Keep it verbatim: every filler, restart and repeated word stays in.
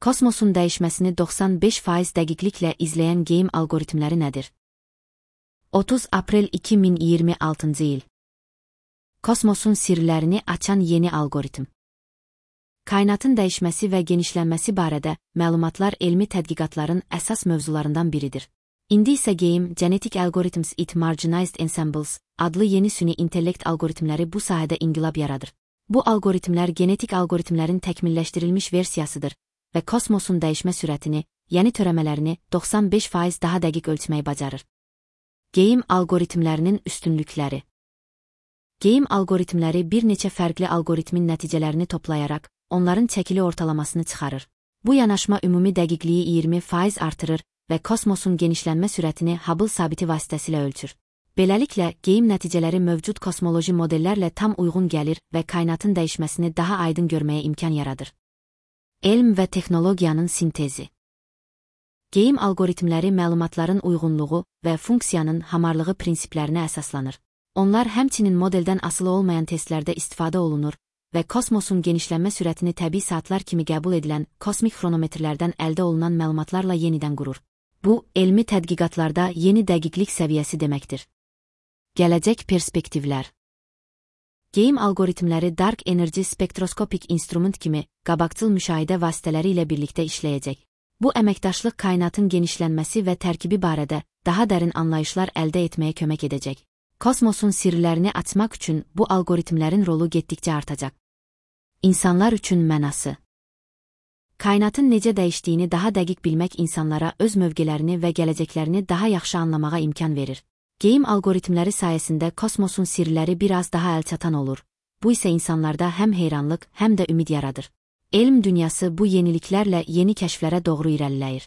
Kosmosun dəyişməsini doxsan beş faiz dəqiqliklə izləyən game algoritmləri nədir? otuz aprel iki min iyirmi altıncı il. Kosmosun sirlərini açan yeni algoritm. Kainatın dəyişməsi və genişlənməsi barədə məlumatlar elmi tədqiqatların əsas mövzularından biridir. İndi isə Game Genetic Algorithms it Marginalized Ensembles adlı yeni süni intellekt algoritmləri bu sahədə inqilab yaradır. Bu algoritmlər genetik algoritmlərin təkmilləşdirilmiş versiyasıdır və kosmosun dəyişmə sürətini, yəni törəmələrini doxsan beş faiz daha dəqiq ölçməyi bacarır. Game algoritmlərinin üstünlükləri. Game algoritmləri bir neçə fərqli algoritmin nəticələrini toplayaraq, onların çəkili ortalamasını çıxarır. Bu yanaşma ümumi dəqiqliyi iyirmi faiz artırır və kosmosun genişlənmə sürətini Hubble sabiti vasitəsilə ölçür. Beləliklə, game nəticələri mövcud kosmoloji modellərlə tam uyğun gəlir və kainatın dəyişməsini daha aydın görməyə imkan yaradır. Elm və texnologiyanın sintezi. Game algoritmləri məlumatların uyğunluğu və funksiyanın hamarlığı prinsiplərinə əsaslanır. Onlar həmçinin modeldən asılı olmayan testlərdə istifadə olunur və kosmosun genişlənmə sürətini təbii saatlar kimi qəbul edilən kosmik xronometrlərdən əldə olunan məlumatlarla yenidən qurur. Bu, elmi tədqiqatlarda yeni dəqiqlik səviyyəsi deməkdir. Gələcək perspektivlər. Game algoritmləri Dark Energy spektroskopik instrument kimi qabaqcıl müşahidə vasitələri ilə birlikdə işləyəcək. Bu əməkdaşlıq kainatın genişlənməsi və tərkibi barədə daha dərin anlayışlar əldə etməyə kömək edəcək. Kosmosun sirlərini açmaq üçün bu algoritmlərin rolu getdikcə artacaq. İnsanlar üçün mənası. Kainatın necə dəyişdiyini daha dəqiq bilmək insanlara öz mövqelərini və gələcəklərini daha yaxşı anlamağa imkan verir. Game algoritmləri sayəsində kosmosun sirləri biraz daha əlçatan olur. Bu isə insanlarda həm heyranlıq, həm də ümid yaradır. Elm dünyası bu yeniliklərlə yeni kəşflərə doğru irəliləyir.